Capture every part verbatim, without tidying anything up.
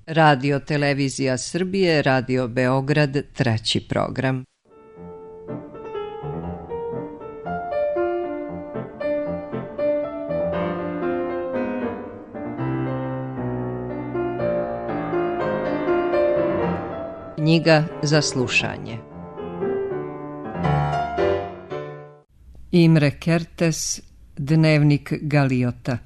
Radio Televizija Srbije, Radio Beograd, treći program. Knjiga za slušanje. Imre Kertész, Dnevnik Galiota.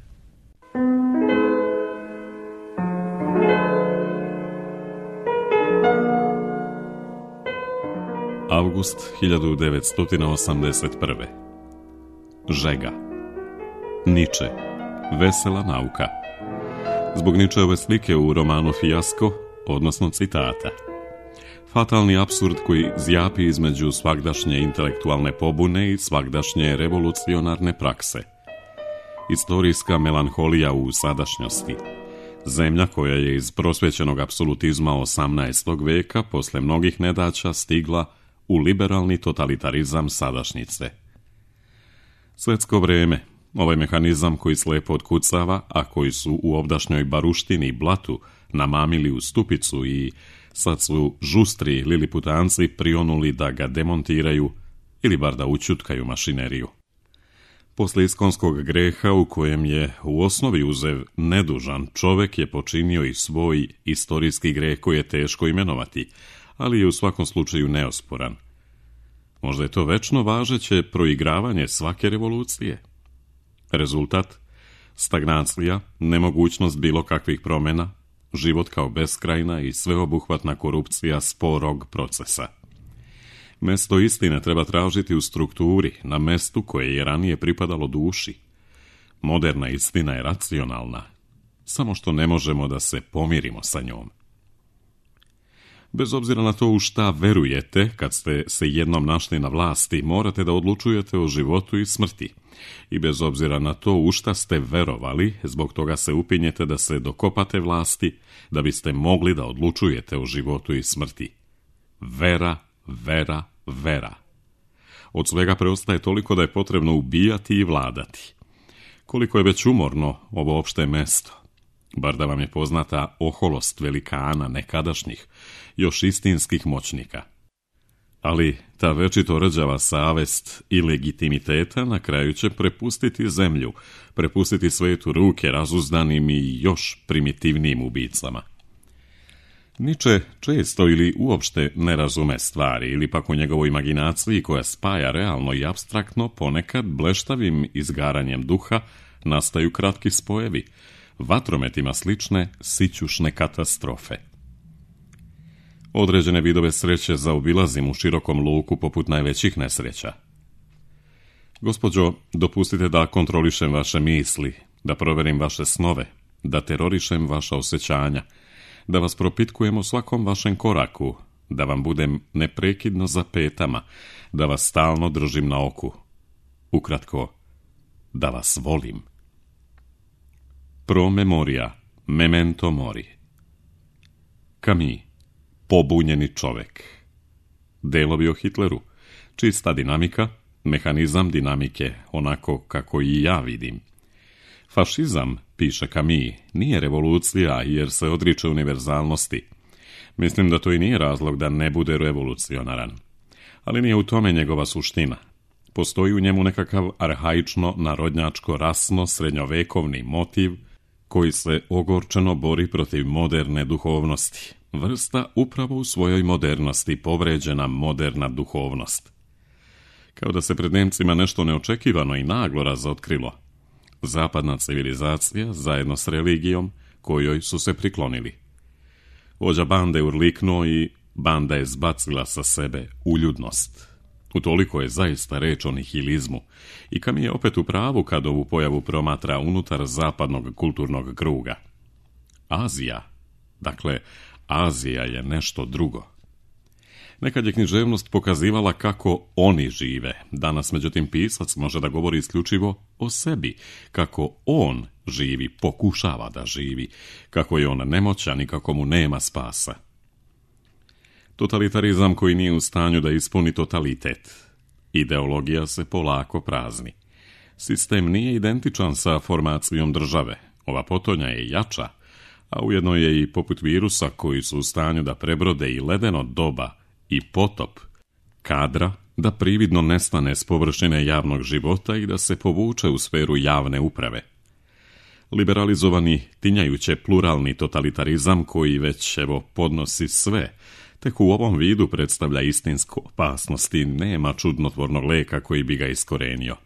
Avgust hiljadu devetsto osamdeset prve. Žega. Niče. Vesela nauka. Zbog Ničeove slike u romanu Fijasko, odnosno citata. Fatalni apsurd koji zjapi između svagdašnje intelektualne pobune i svagdašnje revolucionarne prakse. Istorijska melanholija u sadašnjosti. Zemlja koja je iz prosvećenog apsolutizma osamnaestog veka posle mnogih nedaća stigla u liberalni totalitarizam sadašnjice. Svetsko vreme, ovaj mehanizam koji slepo otkucava, a koji su u ovdašnjoj baruštini i blatu namamili u stupicu i sad su žustri liliputanci prionuli da ga demontiraju ili bar da učutkaju mašineriju. Posle iskonskog greha u kojem je u osnovi uzev nedužan, čovek je počinio i svoj istorijski greh koji je teško imenovati, ali je u svakom slučaju neosporan. Možda je to večno važeće proigravanje svake revolucije. Rezultat? Stagnacija, nemogućnost bilo kakvih promjena, život kao beskrajna i sveobuhvatna korupcija sporog procesa. Mesto istine treba tražiti u strukturi, na mestu koje je ranije pripadalo duši. Moderna istina je racionalna, samo što ne možemo da se pomirimo sa njom. Bez obzira na to u šta verujete, kad ste se jednom našli na vlasti, morate da odlučujete o životu i smrti. I bez obzira na to u šta ste verovali, zbog toga se upinjete da se dokopate vlasti, da biste mogli da odlučujete o životu i smrti. Vera, vera, vera. Od svega preostaje toliko da je potrebno ubijati i vladati. Koliko je već umorno ovo opšte mesto. Bar da vam je poznata oholost velikana nekadašnjih, još istinskih moćnika. Ali ta večito rđava savest i legitimiteta na kraju će prepustiti zemlju, prepustiti svetu ruke razuzdanim i još primitivnijim ubicama. Niče često ili uopšte ne razume stvari, ili pak u njegovoj imaginaciji koja spaja realno i apstraktno, ponekad bleštavim izgaranjem duha nastaju kratki spojevi, vatrometima slične sićušne katastrofe. Određene vidove sreće zaobilazim u širokom luku poput najvećih nesreća. Gospođo, dopustite da kontrolišem vaše misli, da proverim vaše snove, da terorišem vaša osjećanja, da vas propitkujem o svakom vašem koraku, da vam budem neprekidno za petama, da vas stalno držim na oku. Ukratko, da vas volim. Pro memoria, memento mori. Camus, pobunjeni čovek. Delovi o Hitleru, čista dinamika, mehanizam dinamike, onako kako i ja vidim. Fašizam, piše Camus, nije revolucija jer se odriče univerzalnosti. Mislim da to i nije razlog da ne bude revolucionaran. Ali nije u tome njegova suština. Postoji u njemu nekakav arhaično, narodnjačko, rasno, srednjovekovni motiv koji se ogorčeno bori protiv moderne duhovnosti. Vrsta upravo u svojoj modernosti povređena moderna duhovnost. Kao da se pred Nemcima nešto neočekivano i naglo razotkrilo. Zapadna civilizacija zajedno s religijom kojoj su se priklonili. Vođa bande urliknuo i banda je zbacila sa sebe uljudnost. Utoliko je zaista reč o nihilizmu i Camus je opet u pravu kad ovu pojavu promatra unutar zapadnog kulturnog kruga. Azija, dakle, Azija je nešto drugo. Nekad je književnost pokazivala kako oni žive. Danas, međutim, pisac može da govori isključivo o sebi, kako on živi, pokušava da živi, kako je on nemoćan i kako mu nema spasa. Totalitarizam koji nije u stanju da ispuni totalitet. Ideologija se polako prazni. Sistem nije identičan sa formacijom države. Ova potonja je jača, a ujedno je i poput virusa koji su u stanju da prebrode i ledeno doba i potop, kadra da prividno nestane s površine javnog života i da se povuče u sferu javne uprave. Liberalizovani, tinjajuće pluralni totalitarizam koji već evo podnosi sve, tek u ovom vidu predstavlja istinsku opasnost i nema čudnotvornog leka koji bi ga iskorenio.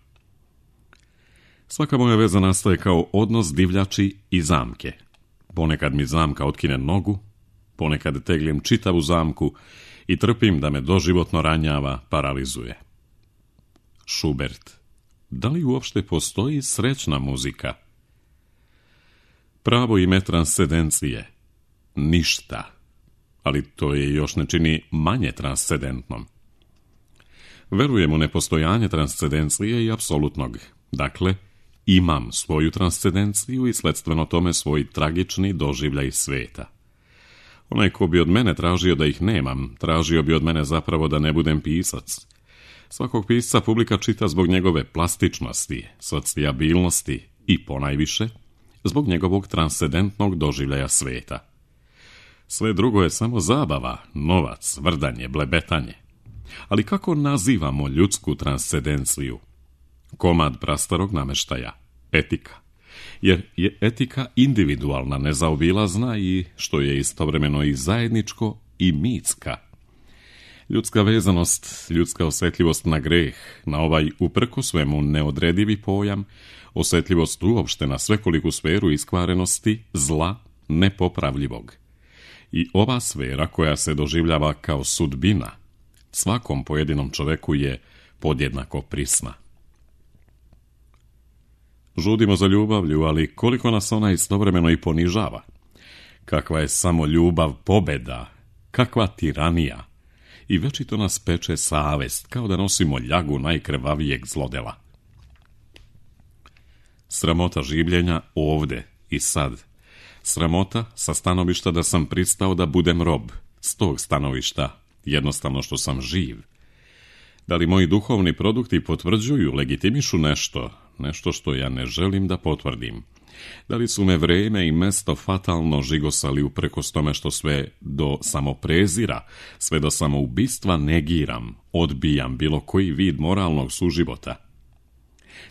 Svaka moja veza nastaje kao odnos divljači i zamke. Ponekad mi zamka otkine nogu, ponekad tegljem čitavu zamku i trpim da me doživotno ranjava, paralizuje. Schubert. Da li uopšte postoji srećna muzika? Pravo ime transcendencije. Ništa. Ali to je još ne čini manje transcendentnom. Verujem u nepostojanje transcendencije i apsolutnog. Dakle, imam svoju transcendenciju i sledstveno tome svoj tragični doživljaj sveta. Onaj ko bi od mene tražio da ih nemam, tražio bi od mene zapravo da ne budem pisac. Svakog pisca publika čita zbog njegove plastičnosti, socijabilnosti i ponajviše zbog njegovog transcendentnog doživljaja sveta. Sve drugo je samo zabava, novac, vrdanje, blebetanje. Ali kako nazivamo ljudsku transcendenciju? Komad prastarog nameštaja, etika. Jer je etika individualna, nezaobilazna i, što je istovremeno i zajedničko, i mitska. Ljudska vezanost, ljudska osjetljivost na greh, na ovaj uprko svemu neodredivi pojam, osjetljivost uopšte na svekoliku sferu iskvarenosti, zla, nepopravljivog. I ova sfera koja se doživljava kao sudbina, svakom pojedinom čoveku je podjednako prisna. Žudimo za ljubavlju, ali koliko nas ona istovremeno i ponižava. Kakva je samo ljubav pobeda, kakva tiranija. I večito nas peče savest, kao da nosimo ljagu najkrvavijeg zlodela. Sramota življenja ovde i sad. Sramota sa stanovišta da sam pristao da budem rob. S tog stanovišta, jednostavno što sam živ. Da li moji duhovni produkti potvrđuju, legitimišu nešto, nešto što ja ne želim da potvrdim? Da li su me vreme i mesto fatalno žigosali uprkos tome što sve do samoprezira, sve do samoubistva negiram, odbijam bilo koji vid moralnog suživota?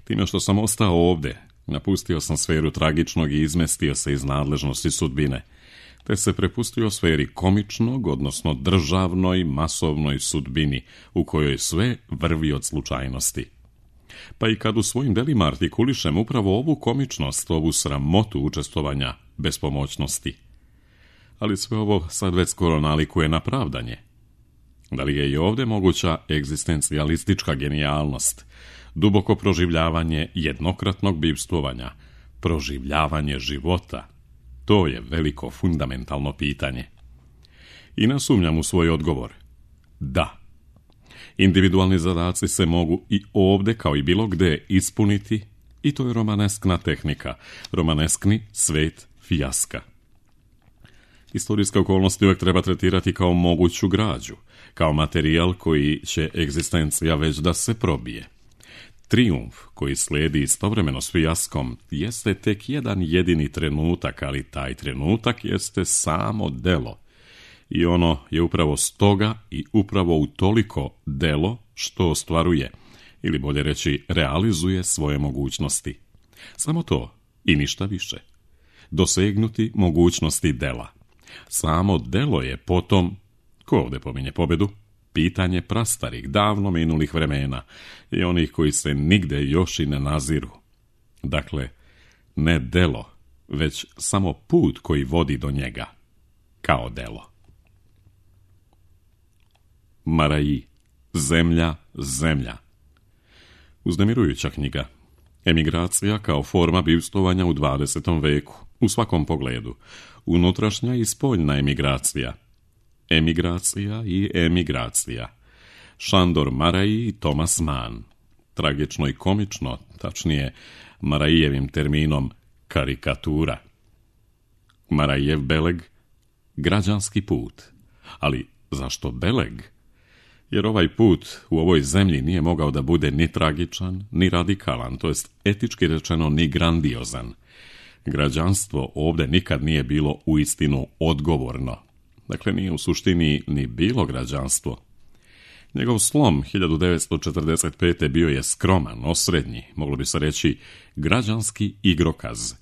Time što sam ostao ovde, napustio sam sferu tragičnog i izmestio se iz nadležnosti sudbine, te se prepustio sferi komičnog, odnosno državnoj, masovnoj sudbini, u kojoj sve vrvi od slučajnosti. Pa i kad u svojim delima artikulišem upravo ovu komičnost, ovu sramotu učestvovanja bespomoćnosti. Ali sve ovo sad već skoro nalikuje na pravdanje. Da li je i ovde moguća egzistencijalistička genijalnost, duboko proživljavanje jednokratnog bivstvovanja, proživljavanje života? To je veliko fundamentalno pitanje. I nasumnjam u svoj odgovor. Da. Individualni zadaci se mogu i ovde kao i bilo gde ispuniti i to je romaneskna tehnika, romaneskni svet fijaska. Istorijske okolnosti uvijek treba tretirati kao moguću građu, kao materijal koji će egzistencija već da se probije. Trijumf koji slijedi istovremeno s fijaskom jeste tek jedan jedini trenutak, ali taj trenutak jeste samo delo. I ono je upravo stoga i upravo u toliko delo što ostvaruje, ili bolje reći realizuje svoje mogućnosti. Samo to i ništa više. Dosegnuti mogućnosti dela. Samo delo je potom, ko ovde pominje pobedu, pitanje prastarih, davno minulih vremena i onih koji se nigde još i ne naziru. Dakle, ne delo, već samo put koji vodi do njega, kao delo. Maraji, zemlja, zemlja. Uznemirujuća knjiga. Emigracija kao forma bivstvovanja u dvadesetom veku, u svakom pogledu. Unutrašnja i spoljna emigracija. Emigracija i emigracija. Šandor Maraji i Thomas Mann. Tragično i komično, tačnije Marajijevim terminom karikatura. Marajijev Beleg, građanski put. Ali zašto Beleg? Jer ovaj put u ovoj zemlji nije mogao da bude ni tragičan, ni radikalan, to jest etički rečeno ni grandiozan. građanstvo ovdje nikad nije bilo uistinu odgovorno. Dakle, nije u suštini ni bilo građanstvo. Njegov slom hiljadu devetsto četrdeset pete. bio je skroman, osrednji, moglo bi se reći građanski igrokaz.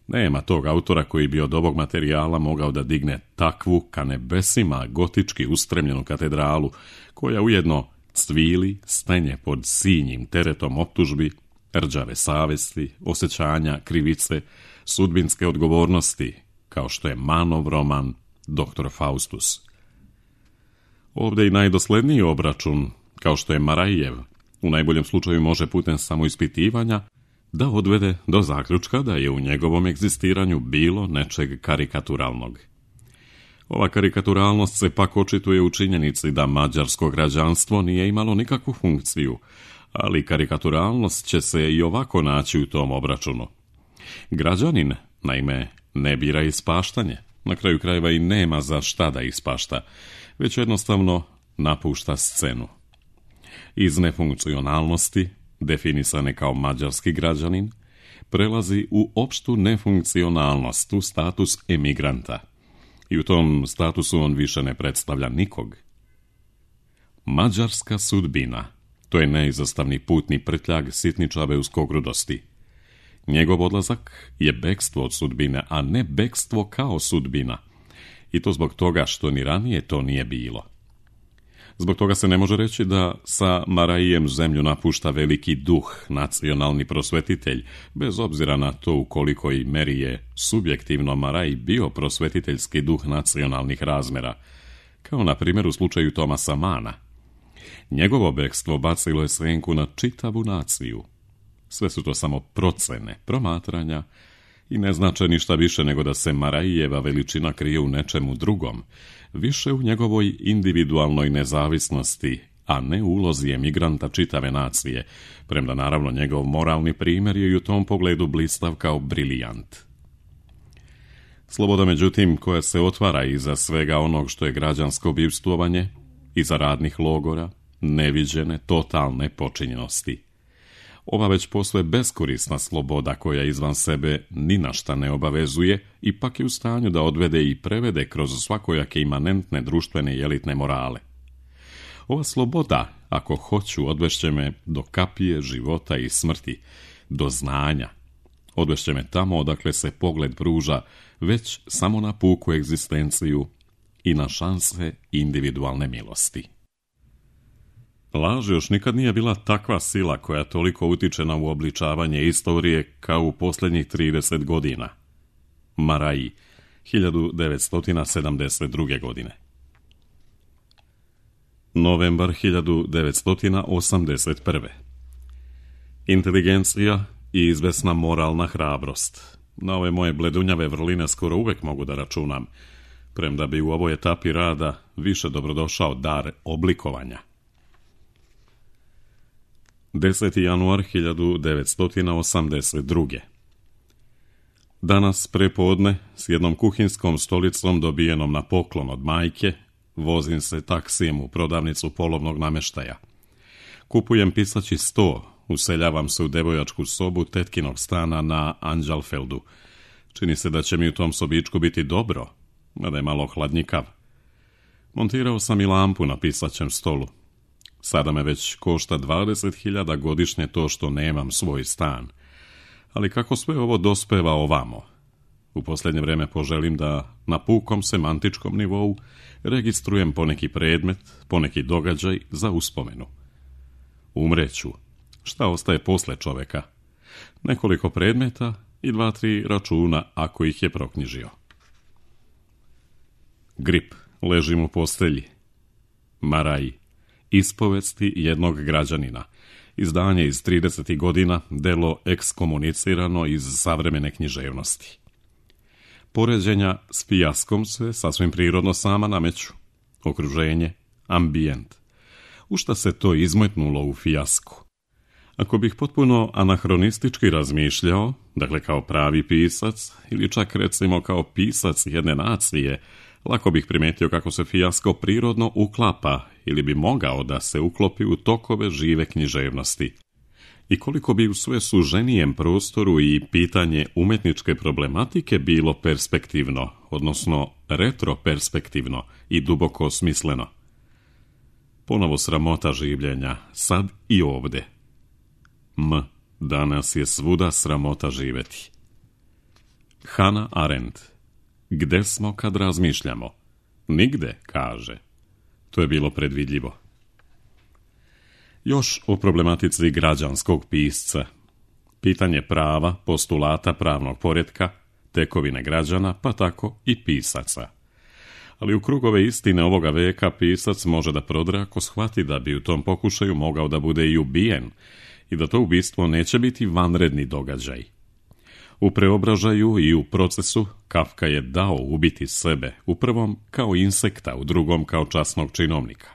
Nema tog autora koji bi od ovog materijala mogao da digne takvu ka nebesima gotički ustremljenu katedralu, koja ujedno cvili, stenje pod sinjim teretom optužbi, rđave savesti, osjećanja, krivice, sudbinske odgovornosti, kao što je Manov roman Doktor Faustus. Ovdje i najdosledniji obračun, kao što je Marajijev, u najboljem slučaju može putem samoispitivanja da odvede do zaključka da je u njegovom egzistiranju bilo nečeg karikaturalnog. Ova karikaturalnost se pak očituje u činjenici da mađarsko građanstvo nije imalo nikakvu funkciju, ali karikaturalnost će se i ovako naći u tom obračunu. Građanin, naime, ne bira ispaštanje, na kraju krajeva i nema za šta da ispašta, već jednostavno napušta scenu. Iz nefunkcionalnosti, definisane kao mađarski građanin, prelazi u opštu nefunkcionalnost, u status emigranta. I u tom statusu on više ne predstavlja nikog. Mađarska sudbina, to je neizostavni putni prtljag sitničave uskogrudosti. Njegov odlazak je bekstvo od sudbine, a ne bekstvo kao sudbina. I to zbog toga što ni ranije to nije bilo. Zbog toga se ne može reći da sa Marajijem zemlju napušta veliki duh, nacionalni prosvetitelj, bez obzira na to u kolikoj meri je subjektivno Maraj bio prosvetiteljski duh nacionalnih razmera, kao na primjer u slučaju Tomasa Mana. Njegovo bekstvo bacilo je senku na čitavu naciju. Sve su to samo procene, promatranja i ne znače ništa više nego da se Marajijeva veličina krije u nečemu drugom, više u njegovoj individualnoj nezavisnosti, a ne u ulozi emigranta čitave nacije, premda naravno njegov moralni primjer je i u tom pogledu blistav kao brilijant. Sloboda, međutim, koja se otvara iza svega onog što je građansko bivstvovanje, iza radnih logora, neviđene, totalne počinjenosti. Ova već posve beskorisna sloboda koja izvan sebe ni na šta ne obavezuje, ipak je u stanju da odvede i prevede kroz svakojake imanentne društvene i elitne morale. Ova sloboda, ako hoću, odvešće me do kapije života i smrti, do znanja. Odvešće me tamo odakle se pogled pruža već samo na puku egzistenciju i na šanse individualne milosti. Laž još nikad nije bila takva sila koja toliko utiče na uobličavanje istorije kao u posljednjih trideset godina. Maraji, hiljadu devetsto sedamdeset druge. godine. Novembar hiljadu devetsto osamdeset prve. Inteligencija i izvesna moralna hrabrost. Na ove moje bledunjave vrline skoro uvek mogu da računam, premda bi u ovoj etapi rada više dobrodošao dar oblikovanja. deseti januar hiljadu devetsto osamdeset druge. Danas prepodne s jednom kuhinskom stolicom dobijenom na poklon od majke vozim se taksijem u prodavnicu polovnog namještaja. Kupujem pisaći sto, useljavam se u devojačku sobu tetkinog stana na Anđalfeldu. Čini se da će mi u tom sobičku biti dobro, mada je malo hladnjikav. Montirao sam i lampu na pisaćem stolu. Sada me već košta dvadeset hiljada godišnje to što nemam svoj stan. Ali kako sve ovo dospeva ovamo? U posljednje vrijeme poželim da na pukom semantičkom nivou registrujem poneki predmet, poneki događaj za uspomenu. Umreću. Šta ostaje posle čoveka? Nekoliko predmeta i dva, tri računa ako ih je proknjižio. Grip. Ležim u postelji. Maraji. Ispovesti jednog građanina. Izdanje iz tridesetih godina, delo ekskomunicirano iz savremene književnosti. Poređenja s fijaskom se sasvim prirodno sama nameću. Okruženje, ambijent. U šta se to izmetnulo u fijasku? Ako bih potpuno anahronistički razmišljao, dakle kao pravi pisac, ili čak recimo kao pisac jedne nacije, lako bih primetio kako se fijasko prirodno uklapa ili bi mogao da se uklopi u tokove žive književnosti. i koliko bi u sve suženijem prostoru i pitanje umetničke problematike bilo perspektivno, odnosno retroperspektivno i duboko smisleno. Ponovo sramota življenja, sad i ovde. M, danas je svuda sramota živeti. Hannah Arendt. Gde smo kad razmišljamo? Nigde, kaže. To je bilo predvidljivo. Još o problematici građanskog pisca. Pitanje prava, postulata pravnog poretka, tekovine građana, pa tako i pisaca. Ali u krugove istine ovoga veka pisac može da prodre ako shvati da bi u tom pokušaju mogao da bude i ubijen i da to ubistvo neće biti vanredni događaj. U preobražaju i u procesu Kafka je dao ubiti sebe, u prvom kao insekta, u drugom kao časnog činovnika.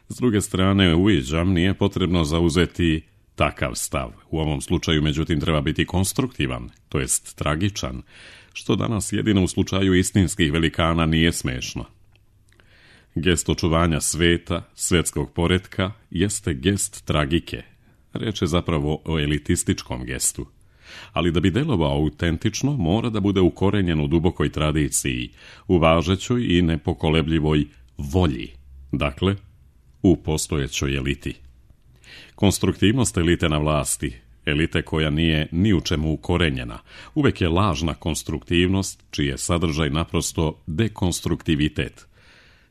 S druge strane, uviđam, nije potrebno zauzeti takav stav. U ovom slučaju, međutim, treba biti konstruktivan, to jest tragičan, što danas jedino u slučaju istinskih velikana nije smešno. Gest očuvanja sveta, svetskog poretka, jeste gest tragike. Reč je zapravo o elitističkom gestu. Ali da bi delovao autentično, mora da bude ukorenjen u dubokoj tradiciji, u važećoj i nepokolebljivoj volji, dakle, u postojećoj eliti. Konstruktivnost elite na vlasti, elite koja nije ni u čemu ukorenjena, uvek je lažna konstruktivnost, čiji je sadržaj naprosto dekonstruktivitet,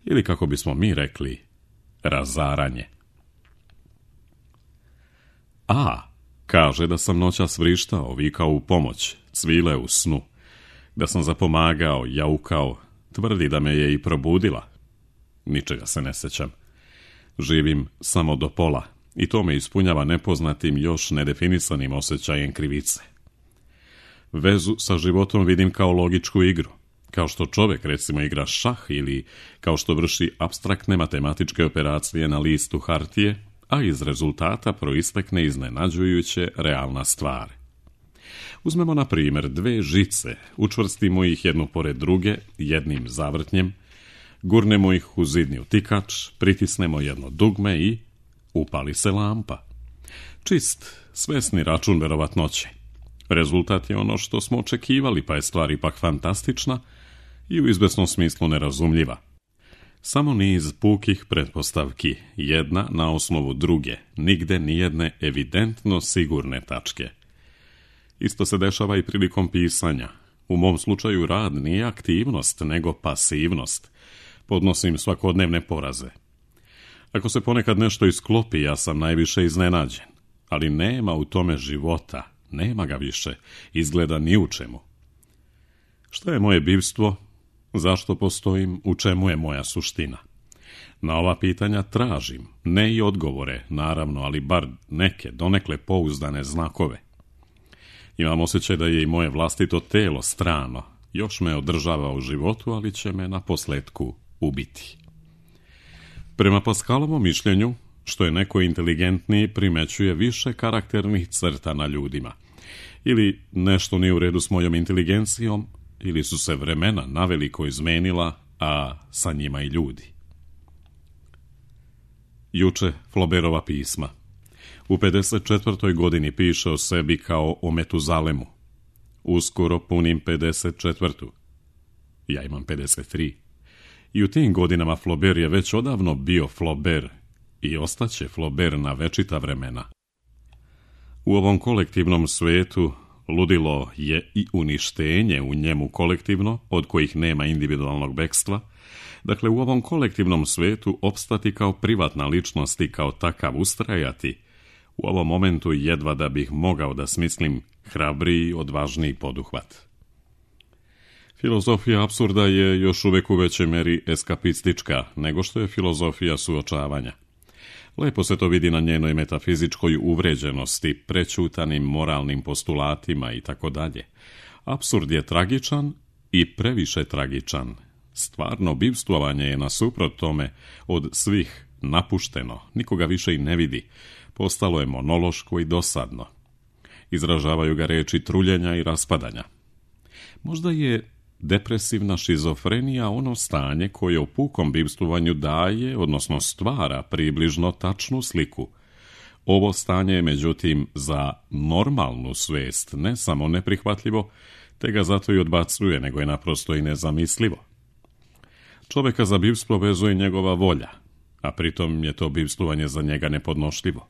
ili kako bismo mi rekli, razaranje. A, kaže da sam noćas vrištao, vikao u pomoć, cvile u snu, da sam zapomagao, jaukao, tvrdi da me je i probudila. Ničega se ne sećam. Živim samo do pola i to me ispunjava nepoznatim, još nedefinisanim osjećajem krivice. Vezu sa životom vidim kao logičku igru, kao što čovjek recimo igra šah ili kao što vrši apstraktne matematičke operacije na listu hartije, a iz rezultata proistekne iznenađujuće realna stvar. Uzmemo na primjer dve žice, učvrstimo ih jednu pored druge, jednim zavrtnjem, gurnemo ih u zidni utikač, pritisnemo jedno dugme i upali se lampa. Čist, svesni račun verovatnoće. Rezultat je ono što smo očekivali, pa je stvar ipak fantastična i u izvesnom smislu nerazumljiva. Samo niz pukih pretpostavki, jedna na osnovu druge, nigde nijedne evidentno sigurne tačke. Isto se dešava i prilikom pisanja. U mom slučaju rad nije aktivnost, nego pasivnost. Podnosim svakodnevne poraze. Ako se ponekad nešto isklopi, ja sam najviše iznenađen. Ali nema u tome života, nema ga više, izgleda ni u čemu. Šta je moje bivstvo? Zašto postojim? U čemu je moja suština? Na ova pitanja tražim, ne i odgovore, naravno, ali bar neke, donekle pouzdane znakove. Imam osjećaj da je i moje vlastito telo strano, još me održava u životu, ali će me na posletku ubiti. Prema Paskalovom mišljenju, što je neko inteligentniji, primećuje više karakternih crta na ljudima. Ili nešto nije u redu s mojom inteligencijom, ili su se vremena naveliko izmenila, a sa njima i ljudi. Juče Flaubertova pisma. U pedeset četvrtoj godini piše o sebi kao o Metuzalemu. Uskoro punim pedeset četvrtu. Ja imam pedeset tri. I u tim godinama Flaubert je već odavno bio Flaubert i ostaće Flaubert na večita vremena. U ovom kolektivnom svetu ludilo je i uništenje u njemu kolektivno, od kojih nema individualnog bekstva. Dakle, u ovom kolektivnom svetu opstati kao privatna ličnost i kao takav ustrajati, u ovom momentu jedva da bih mogao da smislim hrabriji, odvažniji poduhvat. Filozofija apsurda je još uvek u većoj meri eskapistička nego što je filozofija suočavanja. Lepo se to vidi na njenoj metafizičkoj uvređenosti, prećutanim moralnim postulatima i tako dalje. Apsurd je tragičan i previše tragičan. Stvarno bivstvovanje je nasuprot tome od svih napušteno, nikoga više i ne vidi. Postalo je monološko i dosadno. Izražavaju ga reči truljenja i raspadanja. Možda je depresivna šizofrenija ono stanje koje u pukom bivstvovanju daje, odnosno stvara približno tačnu sliku. Ovo stanje je međutim za normalnu svijest ne samo neprihvatljivo, te ga zato i odbacuje, nego je naprosto i nezamislivo. Čovjeka za bivstvo vezuje njegova volja, a pritom je to bivstvovanje za njega nepodnošljivo.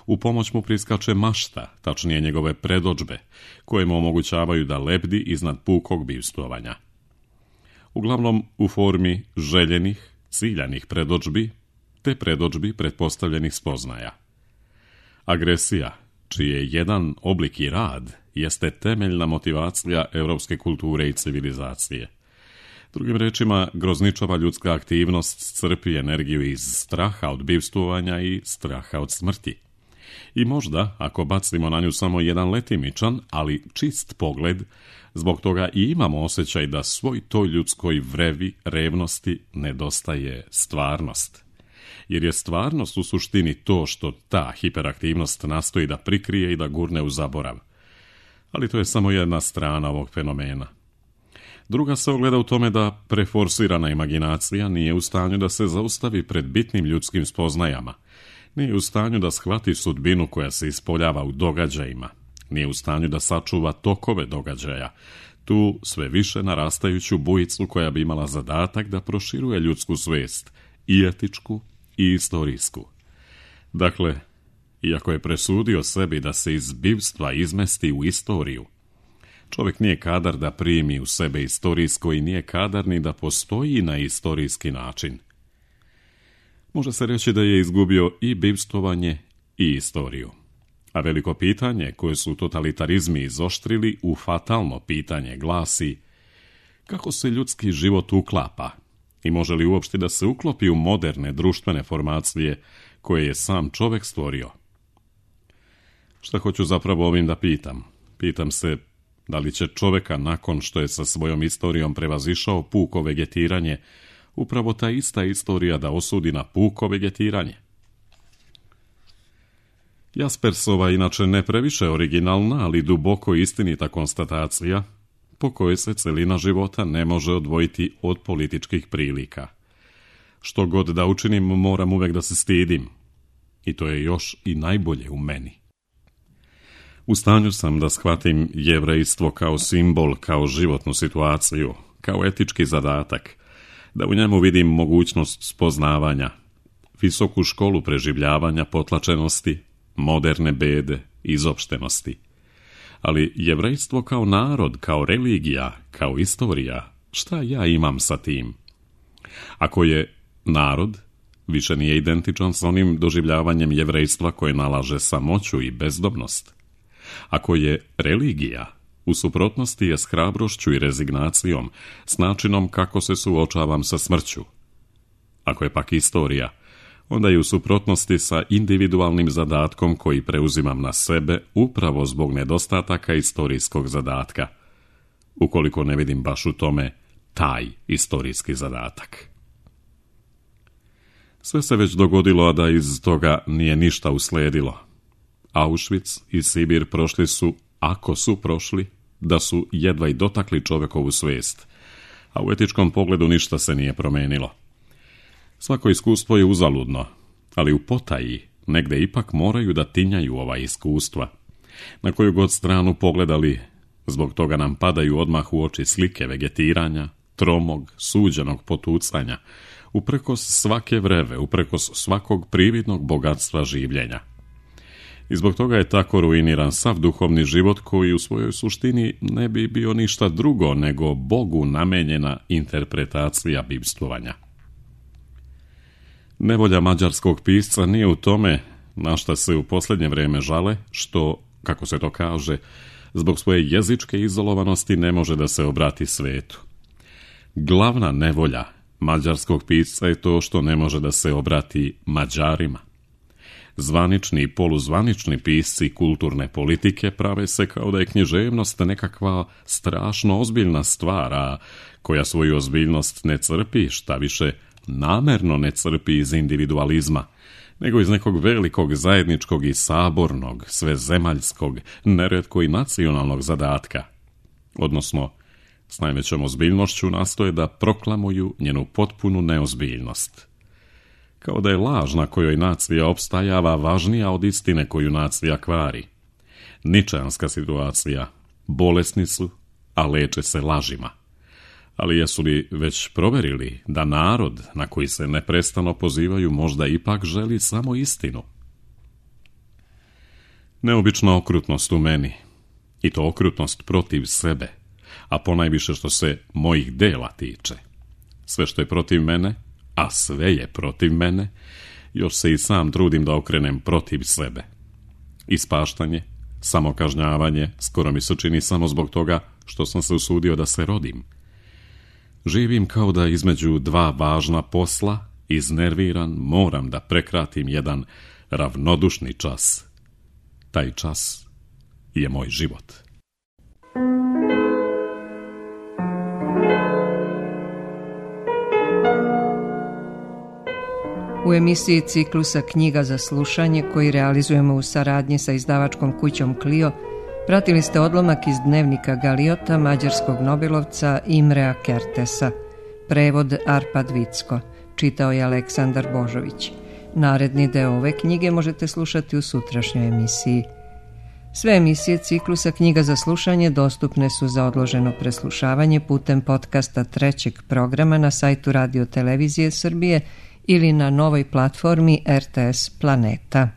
U pomoć mu priskače mašta, tačnije njegove predodžbe, koje mu omogućavaju da lebdi iznad pukog bivstvovanja. Uglavnom u formi željenih, ciljanih predodžbi, te predodžbi pretpostavljenih spoznaja. Agresija, čiji je jedan oblik i rad, jeste temeljna motivacija europske kulture i civilizacije. Drugim rečima, grozničava ljudska aktivnost crpi energiju iz straha od bivstvovanja i straha od smrti. I možda, ako bacimo na nju samo jedan letimičan, ali čist pogled, zbog toga i imamo osjećaj da svoj toj ljudskoj vrevi, revnosti nedostaje stvarnost. Jer je stvarnost u suštini to što ta hiperaktivnost nastoji da prikrije i da gurne u zaborav. Ali to je samo jedna strana ovog fenomena. Druga se ogleda u tome da preforsirana imaginacija nije u stanju da se zaustavi pred bitnim ljudskim spoznajama, nije u stanju da shvati sudbinu koja se ispoljava u događajima, nije u stanju da sačuva tokove događaja, tu sve više narastajuću bujicu koja bi imala zadatak da proširuje ljudsku svijest, i etičku i istorijsku. Dakle, iako je presudio sebi da se iz bivstva izmesti u istoriju, čovjek nije kadar da primi u sebe istorijsko i nije kadar ni da postoji na istorijski način. Može se reći da je izgubio i bivstvovanje i istoriju. A veliko pitanje koje su totalitarizmi izoštrili u fatalno pitanje glasi: kako se ljudski život uklapa i može li uopšte da se uklopi u moderne društvene formacije koje je sam čovjek stvorio? Šta hoću zapravo ovim da pitam? Pitam se da li će čovjeka nakon što je sa svojom istorijom prevazišao puko vegetiranje, upravo ta ista istorija da osudi na puko vegetiranje. Jaspersova inače ne previše originalna, ali duboko istinita konstatacija po kojoj se celina života ne može odvojiti od političkih prilika. Što god da učinim, moram uvek da se stidim. I to je još i najbolje u meni. U stanju sam da shvatim jevrejstvo kao simbol, kao životnu situaciju, kao etički zadatak, da u njemu vidim mogućnost spoznavanja, visoku školu preživljavanja potlačenosti, moderne bede, izopštenosti. Ali jevrejstvo kao narod, kao religija, kao istorija, šta ja imam sa tim? Ako je narod, više nije identičan s onim doživljavanjem jevrejstva koje nalaže samoću i bezdobnost. Ako je religija, u suprotnosti je s hrabrošću i rezignacijom, s načinom kako se suočavam sa smrću. Ako je pak istorija, onda je u suprotnosti sa individualnim zadatkom koji preuzimam na sebe upravo zbog nedostataka istorijskog zadatka, ukoliko ne vidim baš u tome taj istorijski zadatak. Sve se već dogodilo, a da iz toga nije ništa usledilo. Auschwitz i Sibir prošli su, ako su prošli, da su jedva i dotakli čovjekovu svijest, a u etičkom pogledu ništa se nije promenilo. Svako iskustvo je uzaludno, ali u potaji negde ipak moraju da tinjaju ova iskustva. Na koju god stranu pogledali, zbog toga nam padaju odmah u oči slike vegetiranja, tromog, suđenog potucanja, uprkos svake vreve, uprkos svakog prividnog bogatstva življenja. I zbog toga je tako ruiniran sav duhovni život koji u svojoj suštini ne bi bio ništa drugo nego Bogu namenjena interpretacija bivstvovanja. Nevolja mađarskog pisca nije u tome, na šta se u posljednje vrijeme žale, što, kako se to kaže, zbog svoje jezičke izolovanosti ne može da se obrati svetu. Glavna nevolja mađarskog pisca je to što ne može da se obrati Mađarima. Zvanični i poluzvanični pisci kulturne politike prave se kao da je književnost nekakva strašno ozbiljna stvar, a koja svoju ozbiljnost ne crpi, šta više namerno ne crpi iz individualizma, nego iz nekog velikog zajedničkog i sabornog, svezemaljskog, neretko i nacionalnog zadatka. Odnosno, s najvećom ozbiljnošću nastoje da proklamuju njenu potpunu neozbiljnost. Kao da je laž na kojoj nacija opstajava važnija od istine koju nacija kvari. Ničeanska situacija. Bolesni su, a leče se lažima. Ali jesu li već proverili da narod na koji se neprestano pozivaju možda ipak želi samo istinu? Neobična okrutnost u meni, i to okrutnost protiv sebe, a ponajviše što se mojih dela tiče. Sve što je protiv mene, a sve je protiv mene, još se i sam trudim da okrenem protiv sebe. Ispaštanje, samokažnjavanje, skoro mi se čini samo zbog toga što sam se usudio da se rodim. Živim kao da između dva važna posla, iznerviran, moram da prekratim jedan ravnodušni čas. Taj čas je moj život. U emisiji ciklusa Knjiga za slušanje, koji realizujemo u saradnji sa izdavačkom kućom Clio, pratili ste odlomak iz dnevnika Galiota mađarskog nobelovca Imrea Kertesa. Prevod Arpad Vicko. Čitao je Aleksandar Božović. Naredni deo ove knjige možete slušati u sutrašnjoj emisiji. Sve emisije ciklusa Knjiga za slušanje dostupne su za odloženo preslušavanje putem podcasta trećeg programa na sajtu Radio Televizije Srbije ili na novoj platformi R T S Planeta.